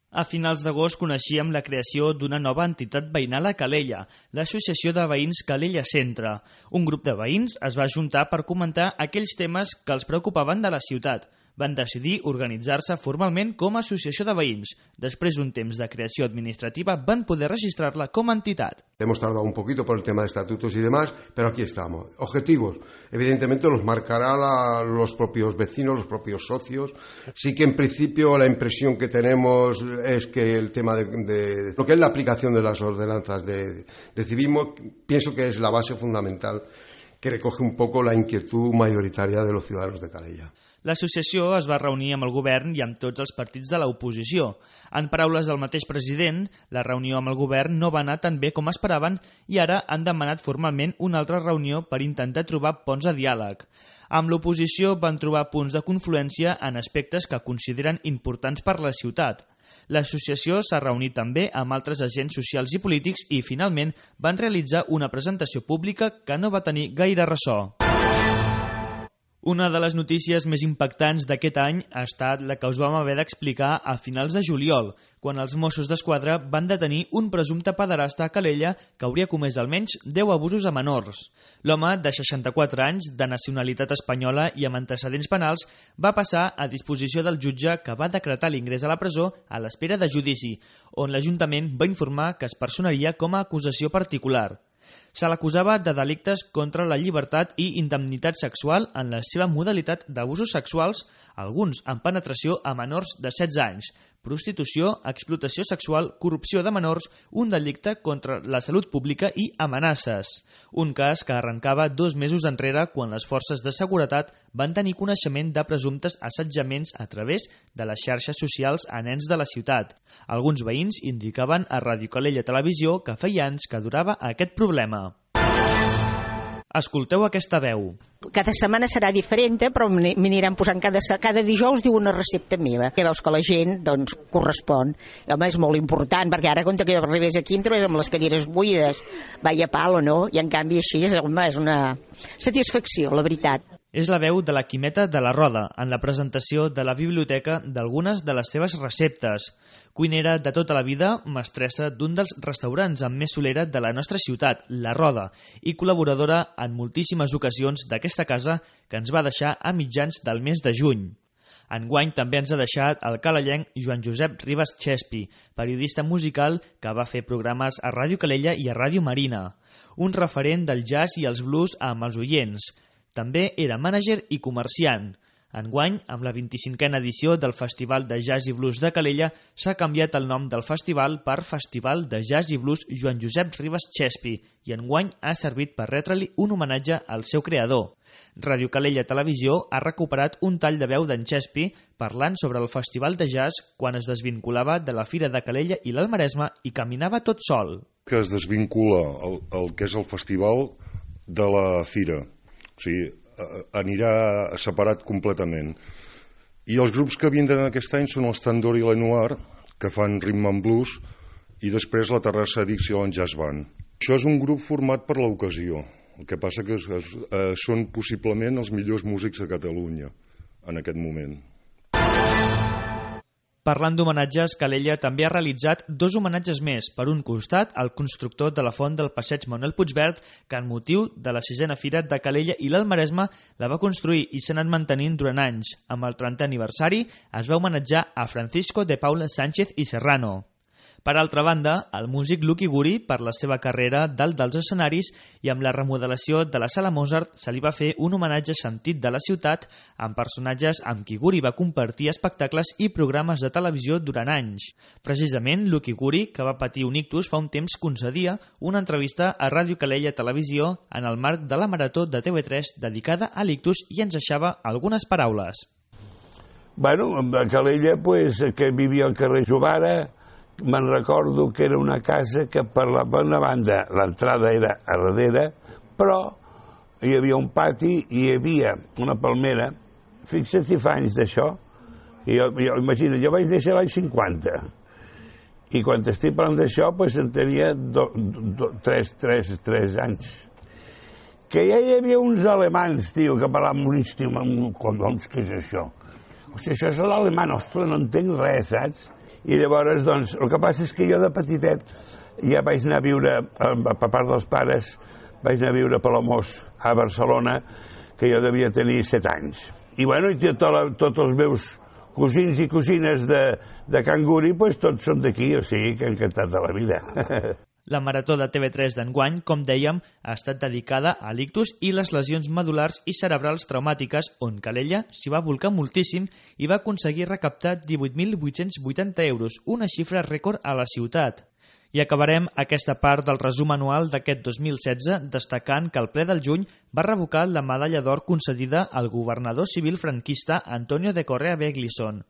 A finals d'agost coneixíem la creació d'una nova entitat veïnal a Calella, l'Associació de Veïns Calella Centre. Un grup de veïns es va ajuntar per comentar aquells temes que els preocupaven de la ciutat. Van decidir organitzar-se formalment com a associació de veïns. Després d'un temps de creació administrativa van poder registrar-la com a entitat. Hemos tardado un poquito por el tema de estatutos y demás, pero aquí estamos. Objetivos, evidentemente los marcará la, los propios vecinos, los propios socios. Sí que en principio la impresión que tenemos es que el tema de, de lo que es la aplicación de las ordenanzas de, de civismo, pienso que es la base fundamental que recoge un poco la inquietud mayoritaria de los ciudadanos de Calella. L'associació es va reunir amb el govern i amb tots els partits de l'oposició. En paraules del mateix president, la reunió amb el govern no va anar tan bé com esperaven i ara han demanat formalment una altra reunió per intentar trobar ponts de diàleg. Amb l'oposició van trobar punts de confluència en aspectes que consideren importants per la ciutat. L'associació s'ha reunit també amb altres agents socials i polítics i, finalment, van realitzar una presentació pública que no va tenir gaire ressò. Una de les notícies més impactants d'aquest any ha estat la que us vam haver d'explicar a finals de juliol, quan els Mossos d'Esquadra van detenir un presumpte pederasta a Calella que hauria comès almenys deu abusos a menors. L'home, de seixanta-quatre anys, de nacionalitat espanyola i amb antecedents penals, va passar a disposició del jutge que va decretar l'ingrés a la presó a l'espera de judici, on l'Ajuntament va informar que es personaria com a acusació particular. Se l'acusava de delictes contra la llibertat i indemnitat sexual en la seva modalitat d'abusos sexuals, alguns amb penetració a menors de setze anys, prostitució, explotació sexual, corrupció de menors, un delicte contra la salut pública i amenaces. Un cas que arrencava dos mesos enrere quan les forces de seguretat van tenir coneixement de presumptes assetjaments a través de les xarxes socials a nens de la ciutat. Alguns veïns indicaven a Ràdio Calella Televisió que feia anys que durava aquest problema. Escolteu aquesta veu. Cada setmana serà diferent, però m'aniran posant cada, cada dijous diu una recepta meva. Que veus que la gent doncs, correspon. I, home, és molt important, perquè ara quan que arribes aquí em trobes amb les cadires buides. Vaya palo, no? I en canvi així és, home, és una satisfacció, la veritat. És la veu de la Quimeta de la Roda en la presentació de la biblioteca d'algunes de les seves receptes. Cuinera de tota la vida, mestressa d'un dels restaurants amb més solera de la nostra ciutat, La Roda, i col·laboradora en moltíssimes ocasions d'aquesta casa que ens va deixar a mitjans del mes de juny. Enguany també ens ha deixat el calellenc Joan Josep Ribas Chespi, periodista musical que va fer programes a Ràdio Calella i a Ràdio Marina. Un referent del jazz i els blues amb els oients. També era mànager i comerciant. Enguany, amb la vint-i-cinquena edició del Festival de Jazz i Blues de Calella, s'ha canviat el nom del festival per Festival de Jazz i Blues Joan Josep Ribas Chespi i enguany ha servit per retre-li un homenatge al seu creador. Ràdio Calella Televisió ha recuperat un tall de veu d'en Chespi parlant sobre el Festival de Jazz quan es desvinculava de la Fira de Calella i l'Alt Maresme i caminava tot sol. Que es desvincula el, el que és el festival de la Fira. O sigui, anirà separat completament. I els grups que vindran aquest any són els Tandor i Lenoir, que fan rhythm and blues, i després la Terrassa Dixieland Jazz Band. Això és un grup format per l'ocasió. El que passa que es, es, eh, són possiblement els millors músics de Catalunya en aquest moment. Parlant d'homenatges, Calella també ha realitzat dos homenatges més. Per un costat, el constructor de la font del passeig Manuel Puigverd, que en motiu de la sisena Fira de Calella i l'Alt Maresme la va construir i s'ha anat mantenint durant anys. Amb el trentè aniversari es va homenatjar a Francisco de Paula Sánchez i Serrano. Per altra banda, el músic Lucky Guri, per la seva carrera dalt dels escenaris i amb la remodelació de la Sala Mozart, se li va fer un homenatge sentit de la ciutat amb personatges amb qui Guri va compartir espectacles i programes de televisió durant anys. Precisament, Lucky Guri, que va patir un ictus fa un temps, concedia una entrevista a Ràdio Calella Televisió en el marc de la Marató de T V tres dedicada a l'ictus i ens deixava algunes paraules. Bueno, a Calella, pues, que vivia al carrer Jovara, me'n recordo que era una casa que per la bona banda l'entrada era a darrere, però hi havia un pati i hi havia una palmera. Fixa't si fa anys d'això. Jo, jo, imagina, jo vaig néixer l'any cinquanta i quan estic parlant d'això pues, en tenia do, do, tres, tres, tres anys. Que ja hi havia uns alemans, tio, que parlaven un instrument, collons, què és això? O sigui, això és l'alemany, ostres, no entenc res, saps? I llavors, doncs, el que passa és que jo de petitet ja vaig anar a viure, a part dels pares, vaig anar a viure a Palamós, a Barcelona, que jo devia tenir set anys. I bueno, i tot, tots els meus cosins i cosines de, de Can Guri, pues, tots són d'aquí, o sigui que encantat de la vida. La Marató de T V tres d'enguany, com dèiem, ha estat dedicada a l'ictus i les lesions medulars i cerebrals traumàtiques, on Calella s'hi va volcar moltíssim i va aconseguir recaptar divuit mil vuit-cents vuitanta euros, una xifra rècord a la ciutat. I acabarem aquesta part del resum anual d'aquest dos mil setze destacant que el ple del juny va revocar la medalla d'or concedida al governador civil franquista Antonio de Correa Beglison.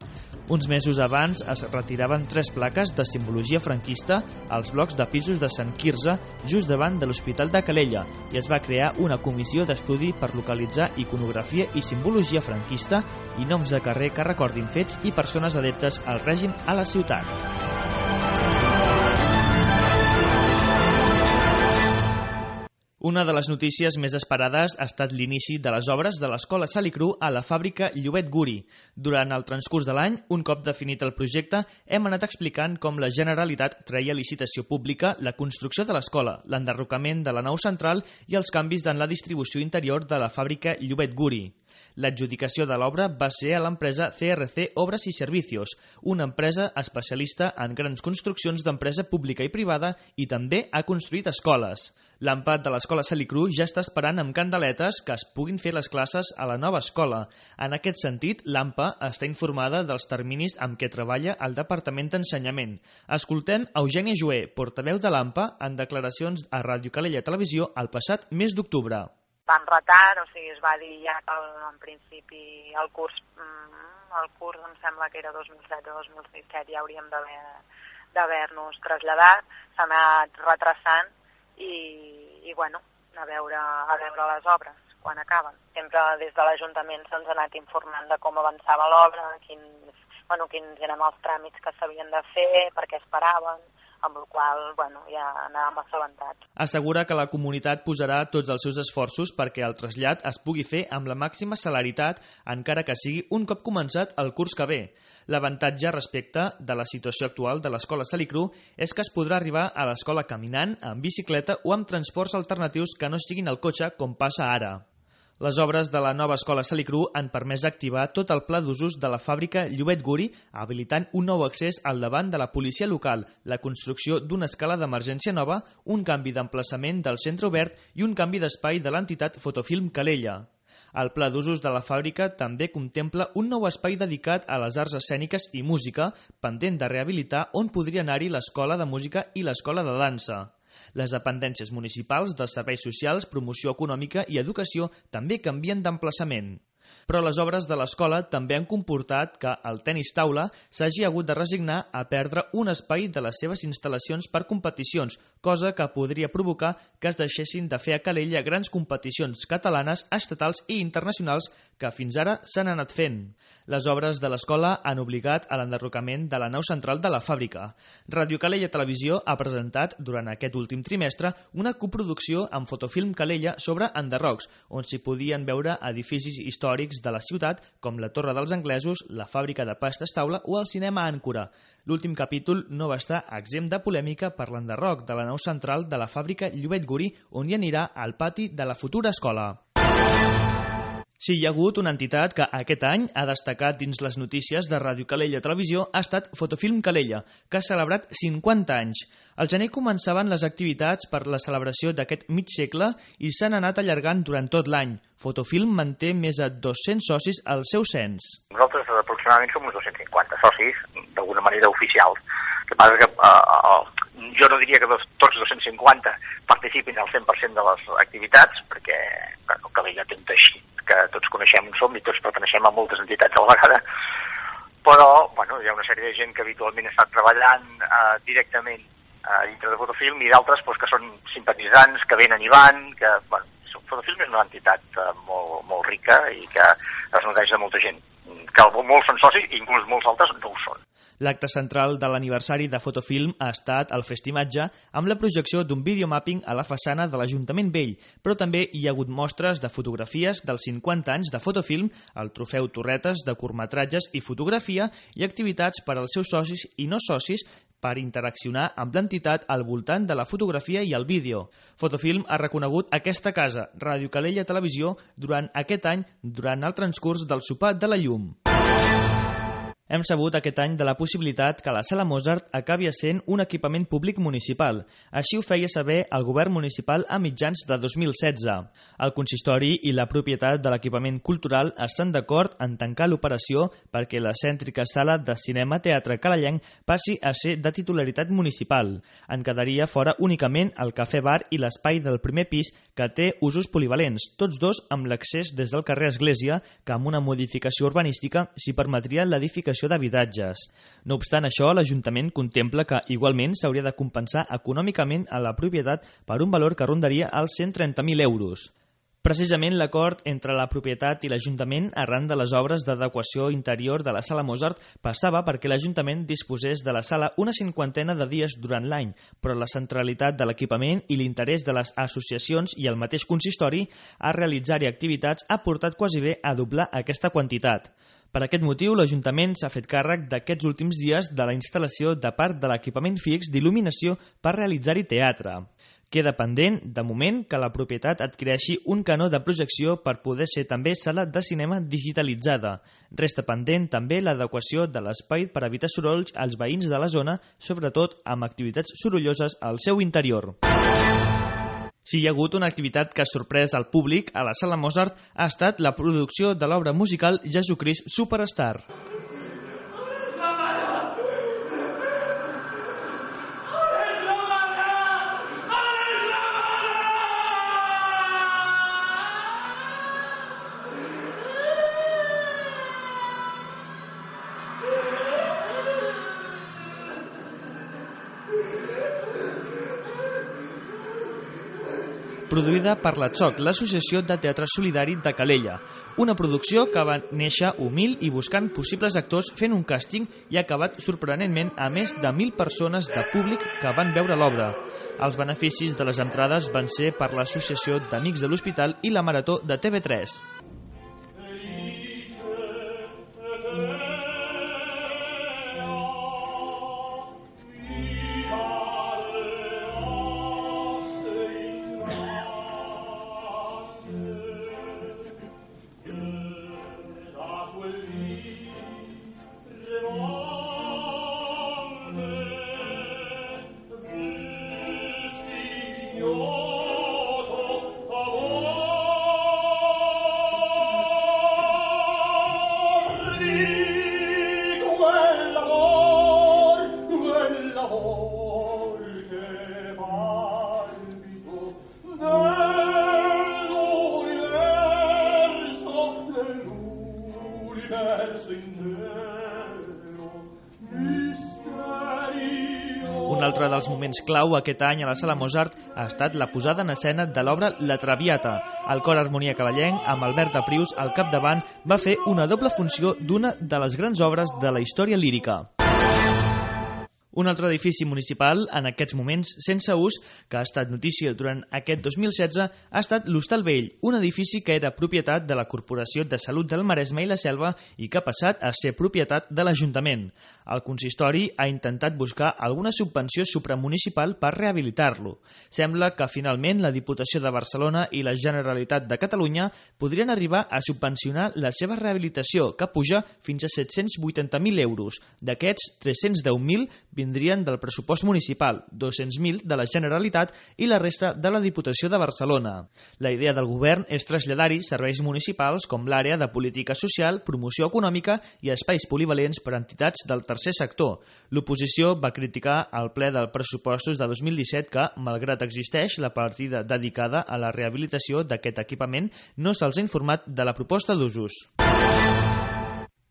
Uns mesos abans es retiraven tres plaques de simbologia franquista als blocs de pisos de Sant Quirze just davant de l'Hospital de Calella i es va crear una comissió d'estudi per localitzar iconografia i simbologia franquista i noms de carrer que recordin fets i persones adeptes al règim a la ciutat. Una de les notícies més esperades ha estat l'inici de les obres de l'Escola Salicru a la fàbrica Llobet Guri. Durant el transcurs de l'any, un cop definit el projecte, hem anat explicant com la Generalitat treia a licitació pública la construcció de l'escola, l'enderrocament de la nau central i els canvis en la distribució interior de la fàbrica Llobet Guri. L'adjudicació de l'obra va ser a l'empresa C R C Obras y Servicios, una empresa especialista en grans construccions d'empresa pública i privada i també ha construït escoles. L'AMPA de l'Escola Salicru ja està esperant amb candeletes que es puguin fer les classes a la nova escola. En aquest sentit, l'AMPA està informada dels terminis amb què treballa el Departament d'Ensenyament. Escoltem Eugènia Joé, portaveu de l'AMPA, en declaracions a Ràdio Calella Televisió el passat mes d'octubre. Va en retard, o sigui, es va dir ja que en principi el curs, el curs em sembla que era dos mil setze o dos mil disset, ja hauríem d'haver d'haver-nos traslladat, s'ha anat retrasant i, i bueno, a veure, a veure les obres quan acaben. Sempre des de l'Ajuntament se'ns ha anat informant de com avançava l'obra, quins, bueno, quins eren els tràmits que s'havien de fer, per què esperaven, amb el qual bueno, ja anàvem assabentats. Assegura que la comunitat posarà tots els seus esforços perquè el trasllat es pugui fer amb la màxima celeritat, encara que sigui un cop començat el curs que ve. L'avantatge respecte de la situació actual de l'Escola Salicru és que es podrà arribar a l'escola caminant, amb bicicleta o amb transports alternatius que no siguin el cotxe com passa ara. Les obres de la nova escola Salicru han permès activar tot el pla d'usos de la fàbrica Llobet Guri, habilitant un nou accés al davant de la policia local, la construcció d'una escala d'emergència nova, un canvi d'emplaçament del centre obert i un canvi d'espai de l'entitat Fotofilm Calella. El pla d'usos de la fàbrica també contempla un nou espai dedicat a les arts escèniques i música, pendent de rehabilitar on podria anar-hi l'escola de música i l'escola de dansa. Les dependències municipals dels serveis socials, promoció econòmica i educació també canvien d'emplaçament. Però les obres de l'escola també han comportat que el tenis taula s'hagi hagut de resignar a perdre un espai de les seves instal·lacions per competicions, cosa que podria provocar que es deixessin de fer a Calella grans competicions catalanes, estatals i internacionals que fins ara s'han anat fent. Les obres de l'escola han obligat a l'enderrocament de la nau central de la fàbrica. Ràdio Calella Televisió ha presentat durant aquest últim trimestre una coproducció amb Fotofilm Calella sobre enderrocs, on s'hi podien veure edificis històrics de la ciutat, com la Torre dels Anglesos, la fàbrica de pastes taula o el cinema Àncora. L'últim capítol no va estar exempt de polèmica per l'enderroc de la nau central de la fàbrica Llobet Guri, on hi anirà al pati de la futura escola. Sí, hi ha hagut una entitat que aquest any ha destacat dins les notícies de Ràdio Calella Televisió ha estat Fotofilm Calella, que ha celebrat cinquanta anys. Al gener començaven les activitats per la celebració d'aquest mig segle i s'han anat allargant durant tot l'any. Fotofilm manté més de dos-cents socis al seu cens. Nosaltres aproximadament som uns dos-cents cinquanta socis, d'alguna manera oficials. El que passa és que eh, jo no diria que dos, tots dos-cents cinquanta participin al cent per cent de les activitats, perquè bueno, Calella té un teixit que tots coneixem on som i tots perteneixem a moltes entitats a la vegada, però bueno, hi ha una sèrie de gent que habitualment està treballant eh, directament eh, dintre de Fotofilm i d'altres pues, que són simpatitzants, que venen i van, que bueno, Fotofilm és una entitat eh, molt, molt rica i que es nodreix de molta gent, que molts són socis i inclús molts altres no ho són. L'acte central de l'aniversari de Fotofilm ha estat el festimatge amb la projecció d'un videomapping a la façana de l'Ajuntament Vell, però també hi ha hagut mostres de fotografies dels cinquanta anys de Fotofilm, el trofeu Torretes de curtmetratges i fotografia i activitats per als seus socis i no socis per interaccionar amb l'entitat al voltant de la fotografia i el vídeo. Fotofilm ha reconegut aquesta casa, Ràdio Calella Televisió, durant aquest any, durant el transcurs del Sopar de la Llum. Hem sabut aquest any de la possibilitat que la Sala Mozart acabi essent un equipament públic municipal. Així ho feia saber el govern municipal a mitjans de dos mil setze. El consistori i la propietat de l'equipament cultural estan d'acord en tancar l'operació perquè la cèntrica sala de cinema-teatre calellenc passi a ser de titularitat municipal. En quedaria fora únicament el cafè-bar i l'espai del primer pis que té usos polivalents, tots dos amb l'accés des del carrer Església, que amb una modificació urbanística s'hi permetria l'edificació d'habitatges. No obstant això, l'Ajuntament contempla que igualment s'hauria de compensar econòmicament a la propietat per un valor que rondaria els cent trenta mil euros. Precisament l'acord entre la propietat i l'Ajuntament arran de les obres d'adequació interior de la Sala Mozart passava perquè l'Ajuntament disposés de la sala una cinquantena de dies durant l'any, però la centralitat de l'equipament i l'interès de les associacions i el mateix consistori a realitzar-hi activitats ha portat quasi bé a doblar aquesta quantitat. Per aquest motiu, l'Ajuntament s'ha fet càrrec d'aquests últims dies de la instal·lació de part de l'equipament fix d'il·luminació per realitzar-hi teatre. Queda pendent, de moment, que la propietat adquireixi un canó de projecció per poder ser també sala de cinema digitalitzada. Resta pendent també l'adequació de l'espai per evitar sorolls als veïns de la zona, sobretot amb activitats sorolloses al seu interior. Si hi ha hagut una activitat que ha sorprès al públic a la Sala Mozart ha estat la producció de l'obra musical Jesucrist Superstar. Produïda per la Txoc, l'Associació de Teatre Solidari de Calella. Una producció que va néixer humil i buscant possibles actors fent un càsting i ha acabat sorprenentment a més de mil persones de públic que van veure l'obra. Els beneficis de les entrades van ser per l'Associació d'Amics de l'Hospital i la Marató de T V tres. Un altre dels moments clau aquest any a la Sala Mozart ha estat la posada en escena de l'obra La Traviata. El cor Harmonia Cavallenc, amb Albert Aprius al capdavant, va fer una doble funció d'una de les grans obres de la història lírica. Un altre edifici municipal, en aquests moments sense ús, que ha estat notícia durant aquest dos mil setze, ha estat l'Hostal Vell, un edifici que era propietat de la Corporació de Salut del Maresme i la Selva i que ha passat a ser propietat de l'Ajuntament. El consistori ha intentat buscar alguna subvenció supramunicipal per rehabilitar-lo. Sembla que finalment la Diputació de Barcelona i la Generalitat de Catalunya podrien arribar a subvencionar la seva rehabilitació, que puja fins a set-cents vuitanta mil euros. D'aquests, tres-cents deu mil vindrien del pressupost municipal, dos-cents mil de la Generalitat i la resta de la Diputació de Barcelona. La idea del govern és traslladar-hi serveis municipals com l'àrea de política social, promoció econòmica i espais polivalents per a entitats del tercer sector. L'oposició va criticar al ple del pressupostos de dos mil disset que, malgrat existeix la partida dedicada a la rehabilitació d'aquest equipament, no se'ls ha informat de la proposta d'usos.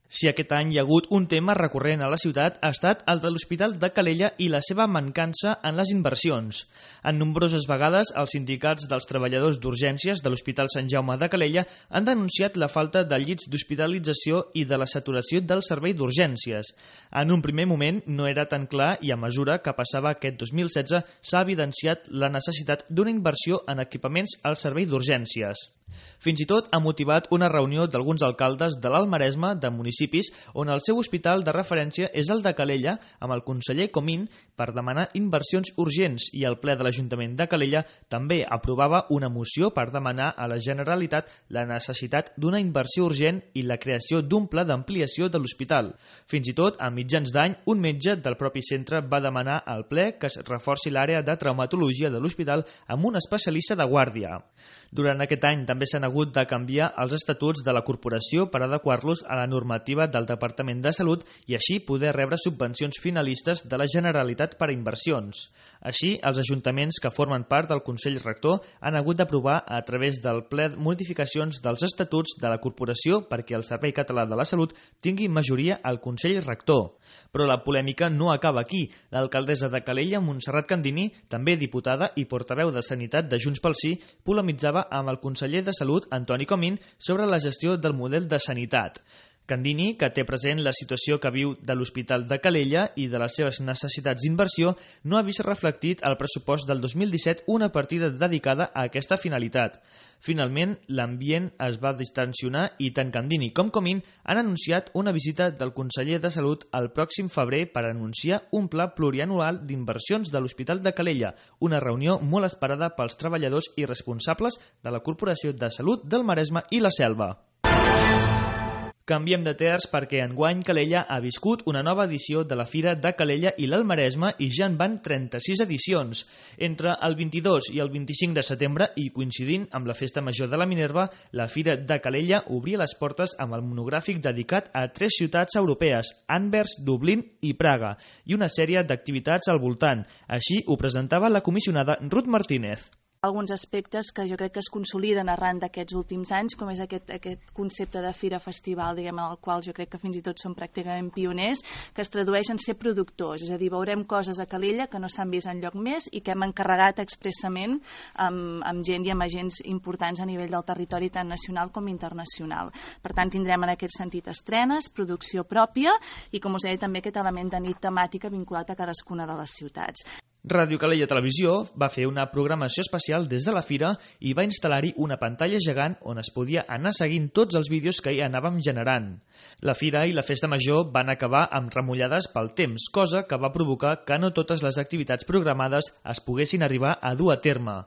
Si aquest any hi ha hagut un tema recurrent a la ciutat ha estat el de l'Hospital de Calella i la seva mancança en les inversions. En nombroses vegades, els sindicats dels treballadors d'urgències de l'Hospital Sant Jaume de Calella han denunciat la falta de llits d'hospitalització i de la saturació del servei d'urgències. En un primer moment no era tan clar i a mesura que passava aquest dos mil setze s'ha evidenciat la necessitat d'una inversió en equipaments al servei d'urgències. Fins i tot ha motivat una reunió d'alguns alcaldes de l'Alt Maresme de municipis on el seu hospital de referència és el de Calella, amb el conseller Comín, per demanar inversions urgents, i el ple de l'Ajuntament de Calella també aprovava una moció per demanar a la Generalitat la necessitat d'una inversió urgent i la creació d'un pla d'ampliació de l'hospital. Fins i tot, a mitjans d'any, un metge del propi centre va demanar al ple que es reforci l'àrea de traumatologia de l'hospital amb un especialista de guàrdia. Durant aquest any també s'han hagut de canviar els estatuts de la corporació per adequar-los a la normativa del Departament de Salut i així poder rebre subvencions finalistes de la Generalitat per a inversions. Així, els ajuntaments que formen part del Consell Rector han hagut d'aprovar a través del ple modificacions dels estatuts de la corporació perquè el Servei Català de la Salut tingui majoria al Consell Rector. Però la polèmica no acaba aquí. L'alcaldessa de Calella, Montserrat Candini, també diputada i portaveu de Sanitat de Junts pel Sí, polemitzava amb el conseller de Salut, Antoni Comín, sobre la gestió del model de sanitat. Candini, que té present la situació que viu de l'Hospital de Calella i de les seves necessitats d'inversió, no ha vist reflectit al pressupost del dos mil disset una partida dedicada a aquesta finalitat. Finalment, l'ambient es va distensionar i tant Candini com Comín han anunciat una visita del conseller de Salut el pròxim febrer per anunciar un pla plurianual d'inversions de l'Hospital de Calella, una reunió molt esperada pels treballadors i responsables de la Corporació de Salut del Maresme i la Selva. Canviem de terç perquè enguany Calella ha viscut una nova edició de la Fira de Calella i l'Alt Maresme i ja en van trenta-sis edicions. Entre el vint-i-dos i el vint-i-cinc de setembre i coincidint amb la Festa Major de la Minerva, la Fira de Calella obria les portes amb el monogràfic dedicat a tres ciutats europees, Anvers, Dublín i Praga, i una sèrie d'activitats al voltant. Així ho presentava la comissionada Ruth Martínez. Alguns aspectes que jo crec que es consoliden arran d'aquests últims anys, com és aquest, aquest concepte de fira-festival, diguem, en el qual jo crec que fins i tot són pràcticament pioners, que es tradueix en ser productors, és a dir, veurem coses a Calella que no s'han vist enlloc més i que hem encarregat expressament amb, amb gent i amb agents importants a nivell del territori tant nacional com internacional. Per tant, tindrem en aquest sentit estrenes, producció pròpia i, com us deia, també aquest element de nit temàtica vinculat a cadascuna de les ciutats. Ràdio Calella Televisió va fer una programació especial des de la fira i va instal·lar-hi una pantalla gegant on es podia anar seguint tots els vídeos que hi anàvem generant. La fira i la festa major van acabar amb remullades pel temps, cosa que va provocar que no totes les activitats programades es poguessin arribar a dur a terme.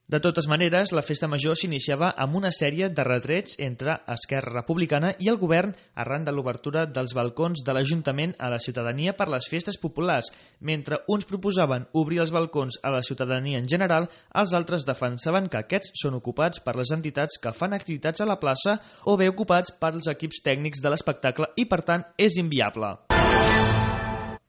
De totes maneres, la festa major s'iniciava amb una sèrie de retrets entre Esquerra Republicana i el govern arran de l'obertura dels balcons de l'Ajuntament a la ciutadania per les festes populars. Mentre uns proposaven obrir els balcons a la ciutadania en general, els altres defensaven que aquests són ocupats per les entitats que fan activitats a la plaça o bé ocupats pels equips tècnics de l'espectacle i, per tant, és inviable.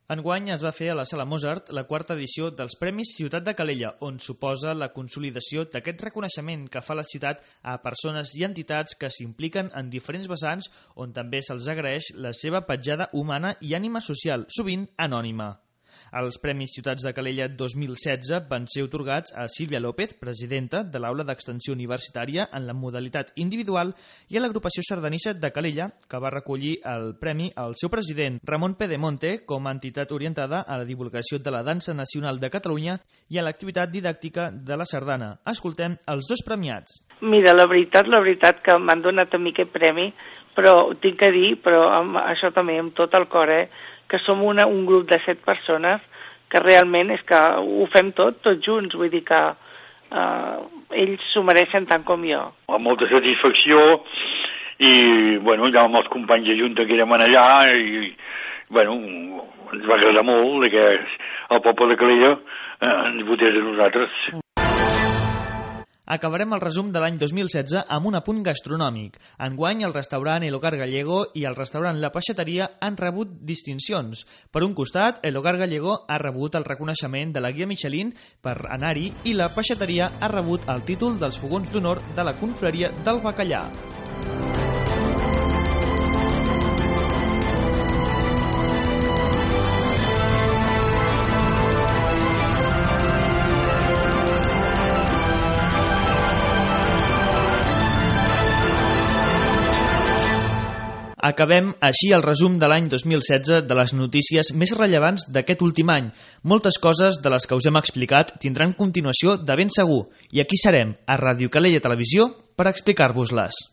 Enguany es va fer a la Sala Mozart la quarta edició dels Premis Ciutat de Calella, on suposa la consolidació d'aquest reconeixement que fa la ciutat a persones i entitats que s'impliquen en diferents vessants, on també se'ls agraeix la seva petjada humana i ànima social, sovint anònima. Els Premis Ciutats de Calella dos mil setze van ser atorgats a Sílvia López, presidenta de l'Aula d'Extensió Universitària en la modalitat individual, i a l'agrupació sardanissa de Calella, que va recollir el premi al seu president, Ramon Pedemonte, com a entitat orientada a la divulgació de la dansa nacional de Catalunya i a l'activitat didàctica de la sardana. Escoltem els dos premiats. Mira, la veritat, la veritat que m'han donat a mi aquest premi, però tinc que dir, però amb això també amb tot el cor, eh, que som una, un grup de set persones que realment és que ho fem tot, tots junts, vull dir que eh, ells s'ho mereixen tant com jo. Amb molta satisfacció i, bueno, ja amb els companys de Junta que érem allà i, bueno, ens va agradar molt que el poble de Calella eh, ens votés a nosaltres. Acabarem el resum de l'any dos mil setze amb un apunt gastronòmic. Enguany, el restaurant El Hogar Gallego i el restaurant La Peixateria han rebut distincions. Per un costat, El Hogar Gallego ha rebut el reconeixement de la guia Michelin per anar-hi i La Peixateria ha rebut el títol dels fogons d'honor de la confraria del Bacallà. Acabem així el resum de l'any dos mil setze de les notícies més rellevants d'aquest últim any. Moltes coses de les que us hem explicat tindran continuació de ben segur, i aquí serem, a Ràdio Calella Televisió, per explicar-vos-les.